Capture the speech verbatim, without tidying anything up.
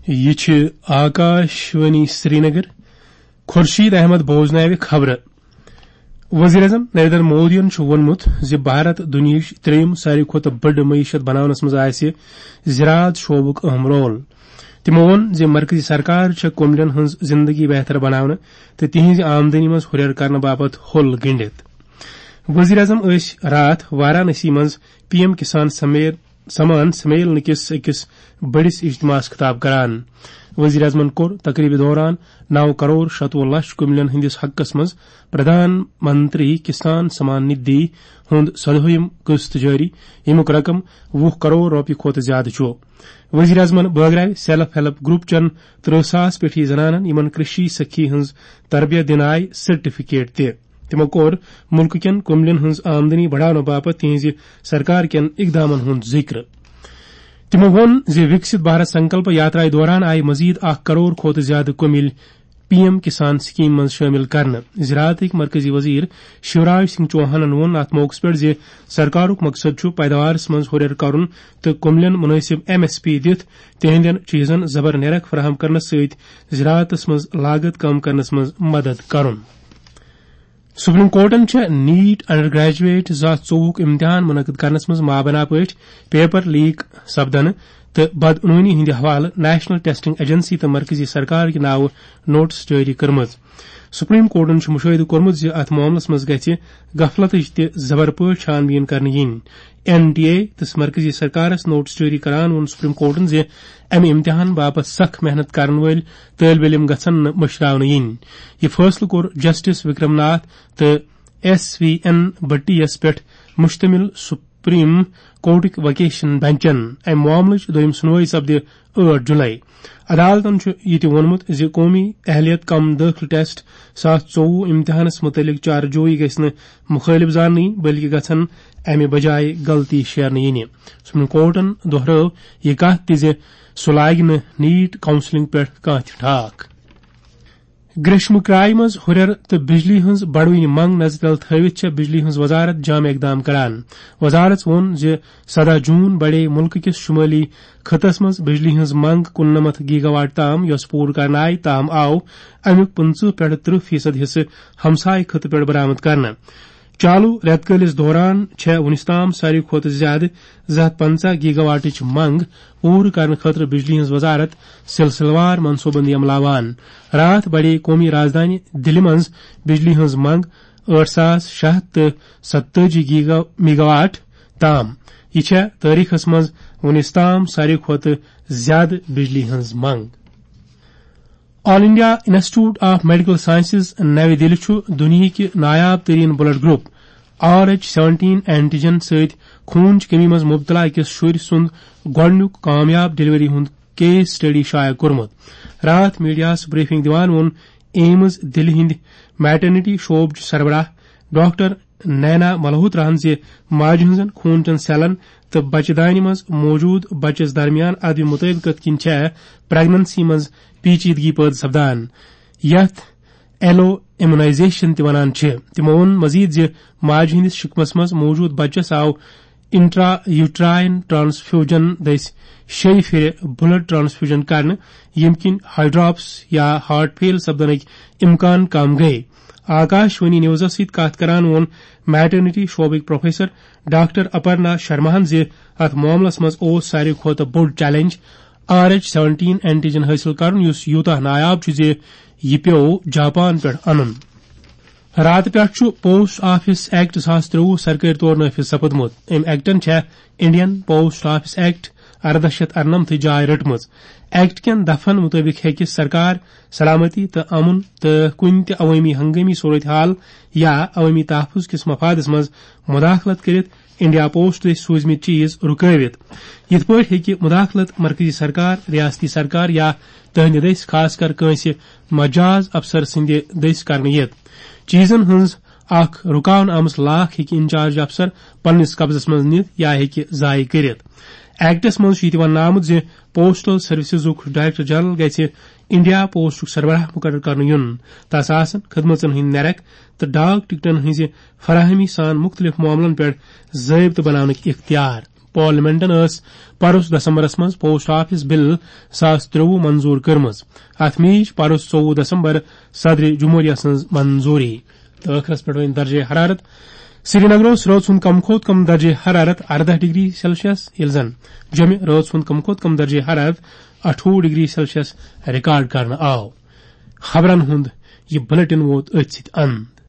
یہِ چھِ آکاش وانی سرینگر۔ خورشید احمد بوزناوِ خبرٕ۔ وزیر اعظم نریندر مودیَن چھُ ووٚنمُت زِ بھارت دُنیاہٕچ ترٛیٚیِم ساروی کھۄتہٕ بٔڑ معیشت بناونس منٛز آسہِ زراعت شعبُک اہم رول۔ تِمو ووٚن زِ مرکزی سرکار چھےٚ کُملٮ۪ن ہٕنٛز زندگی بہتر بناونہٕ تہٕ تِہنٛزِ آمدنی منٛز ہُرٮ۪ر کرنہٕ باپتھ ہوٚل گنٛڈِتھ۔ وزیر اعظم ٲسۍ راتھ وارانسی منٛز پی ایم کسان سمیر سمان سمیلن کِس أکِس بٔڑِس اجتماعس خطاب کران۔ وزیر اعظمن کوٚر تقریبہِ دوران نو کرور شتوُہ لچھ کُملٮ۪ن ہٕنٛدِس حقس منٛز پردھان منتری کسان سمان ندھی ہُنٛد ژۄدہٲیِم قسط جٲری، ییٚمیُک رقم وُہ کرور رۄپیہِ کھۄتہٕ زیادٕ چھُ۔ وزیر اعظمن بٲگراوِ سیلف ہیلپ گروپ چٮ۪ن ترٕہ ساس پیٹھی زنانن، یِمن کرشی سخی ہٕنٛز تربیت دِنہٕ آیہِ سرٹیفکیٹ تہِ۔ تِمو کوٚر مُلکہٕ کٮ۪ن کُملٮ۪ن ہٕنٛز آمدنی بڑاونہٕ باپتھ تِہنٛزِ سرکار کٮ۪ن اقدامن ہُنٛد ذِکر۔ تِمو ووٚن زِ وِکسِت بھارت سنکلپ یاترایہِ دوران آیہِ مزید اکھ کرور کھۄتہٕ زیادٕ کُمِلۍ پی ایم کسان سکیمہِ منٛز شٲمِل کرنہٕ۔ زراعتٕکۍ مرکزی وزیر شیوراج سنگھ چوہانن ووٚن اتھ موقعس پٮ۪ٹھ زِ سرکارُک مقصد چھُ پیداوارس منٛز ہُرٮ۪ر کرُن تہٕ کُملٮ۪ن مُنٲسِب ایم ایس پی دِتھ تِہنٛدٮ۪ن چیٖزن زبر نیرخ فراہم کرنس سۭتۍ زراعتس منٛز لاگت کم کرنس منٛز مدد کرُن۔ سپریم کورٹَن چھےٚ نیٹ انڈر گریجویٹ زٕ ساس ژوٚوُہُک امتحان منعقد کرنس منٛز مابنا پٲٹھۍ پیپر لیک سپدنہٕ تہٕ بدعنوٲنی ہٕنٛدِ حوالہٕ نیشنل ٹیسٹنگ ایجنسی تہٕ مرکزی سرکار کہِ ناوٕ نوٹس جٲری کٔرمٕژ۔ سپریم کورٹَن چھُ مُشٲہدٕ کوٚرمُت زِ اتھ معاملس منٛز گژھِ غفلتٕچ تہِ زبر پٲٹھۍ چھان بیٖن کرنہٕ یِنۍ۔ این ٹی اے تہٕ مرکزی سرکارس نوٹس جٲری کران ووٚن سپریم کورٹَن زِ امہِ امتحان باپتھ سخ محنت کرن وٲلۍ طٲلب علم گژھن نہٕ مٔشراونہٕ یِنۍ۔ یہِ فٲصلہٕ کوٚر جسٹس وکرم ناتھ تہٕ ایس وی این بھٹی یَس پٮ۪ٹھ مشتمل سپریم کورٹٕکۍ وکیشن بنچن۔ امہِ معاملٕچ دوٚیِم سُنوٲیی سپدِ ٲٹھ جُلے۔ عدالتَن چھُ یہِ تہِ ووٚنمُت زِ قومی اہلیت کم دٲخلہٕ ٹیسٹ زٕ ساس ژوٚوُہ امتحانَس مُتعلِق چارجویی گژھِ نہٕ مُخٲلِف زاننہٕ یِنۍ، بلکہِ گژھن امہِ بجایہِ غلطی شیرنہٕ یِنہِ۔ سپریم کورٹَن دۄہرٲو یہِ کتھ تہِ زِ سُہ لاگہِ نہٕ نیٹ کاؤنسلنگ پٮ۪ٹھ کانٛہہ تہِ ٹھاکھ۔ گریشمہٕ کرایہِ منٛز ہُرٮ۪ر تہٕ بجلی ہٕنٛز بڑوٕنۍ منٛگ نظرِ تل تھٲوِتھ چھےٚ بجلی ہٕنٛز وزارت جامع اقدام کران۔ وزارت ووٚن زِ سداہ جون بڑے مُلکہٕ کِس شُمٲلی خٕطس منٛز بجلی ہٕنٛز منٛگ کُننَمتھ گیگا واٹ تام، یۄس پوٗرٕ کرنہٕ آیہِ، تاہم آو امیُک پٕنٛژٕہ پٮ۪ٹھ ترٕٛہ فیصد حصہٕ ہمسایہِ خٕطہٕ پٮ۪ٹھ برآمد کرنہٕ۔ چالو رٮ۪تہٕ کٲلِس دوران چھےٚ وُنیُس تام ساروی کھۄتہٕ زیادٕ زٕ ہتھ پنژاہ گیگا واٹٕچ منٛگ پوٗرٕ کرنہٕ خٲطرٕ بجلی ہٕنٛز وزارت سلسلہٕ وار منصوٗبہٕ بندی عملاوان۔ راتھ بڑے قومی رازدانہِ دِلہِ منٛز بجلی ہٕنٛز منٛگ ٲٹھ ساس شےٚ ہتھ تہٕ ستٲجی گیگا میگا واٹ تام۔ یہِ چھےٚ تٲریخس منٛز وُنیُس تام ساروی کھۄتہٕ زیادٕ بجلی ہٕنٛز منٛگ۔ All India institute of medical sciences نَوِ دِلہِ چھُ دُنیہٕکہِ نایاب ترین blood group R H seventeen antigen سۭتۍ خوٗنٕچ کٔمی منٛز مُبتلا أکِس شُرۍ سُنٛد گۄڈٕنیُک کامیاب ڈلیوری ہُنٛد کیس سٹڈی شایع کوٚرمُت۔ راتھ میڈیاہَس بریفنگ دِوان ووٚن ایمز دِلہِ ہٕنٛدِ میٹرنٹی شعبٕچ سربراہ ڈاکٹر نینا ملہوتراہَن زِ ماجہِ ہٕنٛزن خوٗن چٮ۪ن سیلن تہٕ بچہٕ دانہِ منٛز موجود بچس درمیان عدم مطابقت کِنۍ چھےٚ پریگننسی منٛز پیچیدگی پٲدٕ سپدان، یتھ ایلو امیونائزیشن تہِ ونان چھِ۔ تِمو ووٚن مزید زِ ماجہِ ہٕنٛدِس شکمس منٛز موجود بچس آو انٹرا یوٹراین ٹرانسفیوجن دٔسۍ شیٚیہِ پھِرِ بلڈ ٹرانسفیوجن کرنہٕ، ییٚمہِ کِنۍ ہائی ڈراپس یا ہارٹ فیل سپدنٕکۍ امکان کم گٔیہِ۔ آکاش وانی نیوزس سۭتۍ کتھ کران ووٚن میٹرنٹی شعبٕکۍ پروفیسر ڈاکٹر اپرنا شرماہن زِ اتھ معاملس منٛز اوس ساروی کھۄتہٕ بوٚڑ challenge R H seventeen antigen حٲصِل کرُن، یُس یوٗتاہ نایاب چھُ زِ یہِ پیوٚو جاپان پٮ۪ٹھ انُن۔ راتہٕ پٮ۪ٹھ چھُ پوسٹ آفس ایکٹ زٕ ساس ترٛۆوُہ سرکٲرۍ طور نافذ سپُدمُت۔ أمۍ ایکٹَن چھےٚ انڈین پوسٹ آفس ایکٹ ارداہ شیتھ ارنمتھٕچ جاے رٔٹمٕژ۔ ایکٹ کٮ۪ن دفعن مُطٲبِق ہیٚکہِ سرکار سلامتی تہٕ امن تہٕ کُنہِ تہِ عوٲمی ہنگٲمی صورتحال یا عوٲمی تحفظ کِس مفادس منٛز مداخلت کٔرِتھ انڈیا پوسٹ دٔسۍ سوٗزمٕتۍ چیز رُکٲوِتھ۔ یِتھ پٲٹھۍ ہیٚکہِ مداخلت مرکزی سرکار، ریاستی سرکار یا تہنٛدِ دٔسۍ، خاص کر کٲنٛسہِ مجاز افسر سٕنٛدِ دٔسۍ، کرنہٕ یِتھ۔ چیزن ہٕنٛز اکھ رُکاونہٕ آمٕژ لاکھ ہیٚکہِ انچارج افسر پننِس قبضس منٛز نِتھ یا ہیٚکہِ ضایع کٔرِتھ۔ ایکٹس منٛز چھُ یہِ تہِ وننہٕ آمُت زِ پوسٹل سروسزُک ڈائریکٹر جنرل گژھِ انڈیا پوسٹُک سربراہ مقرر کرنہٕ یُن۔ تس آسن خدمژن ہٕنٛدۍ نرخ تہٕ ڈاک ٹکٹن ہٕنٛزِ فراہمی سان مُختٔلِف معاملن پٮ۪ٹھ ضٲبطہٕ بناونٕکۍ اختیار۔ پارلیمنٹن ٲس پرُس دسمبرس منٛز پوسٹ آفس بل زٕ ساس ترٛوُہ منظور کٔرمٕژ۔ اتھ میج پرُس ژوٚوُہ دسمبر صدر جمہوریہ سٕنٛز منظوری۔ تہٕ ٲخرس پٮ۪ٹھ وۄنۍ درجہ حرارت۔ سرینگر اوس رٲژ ہُنٛد کم کھۄتہٕ کم درجہ حرارت ارداہ ڈگری سیلسیس، ییٚلہِ زن جوٚمہِ رٲژ ہُنٛد کم کھۄتہٕ کم درجہ حرارت اَٹھووُہ ڈگری سیلسیس ریکارڈ کرنہٕ آو۔ خبرن ہُنٛد یہِ بلیٹن ووت أتھۍ سۭتۍ اند۔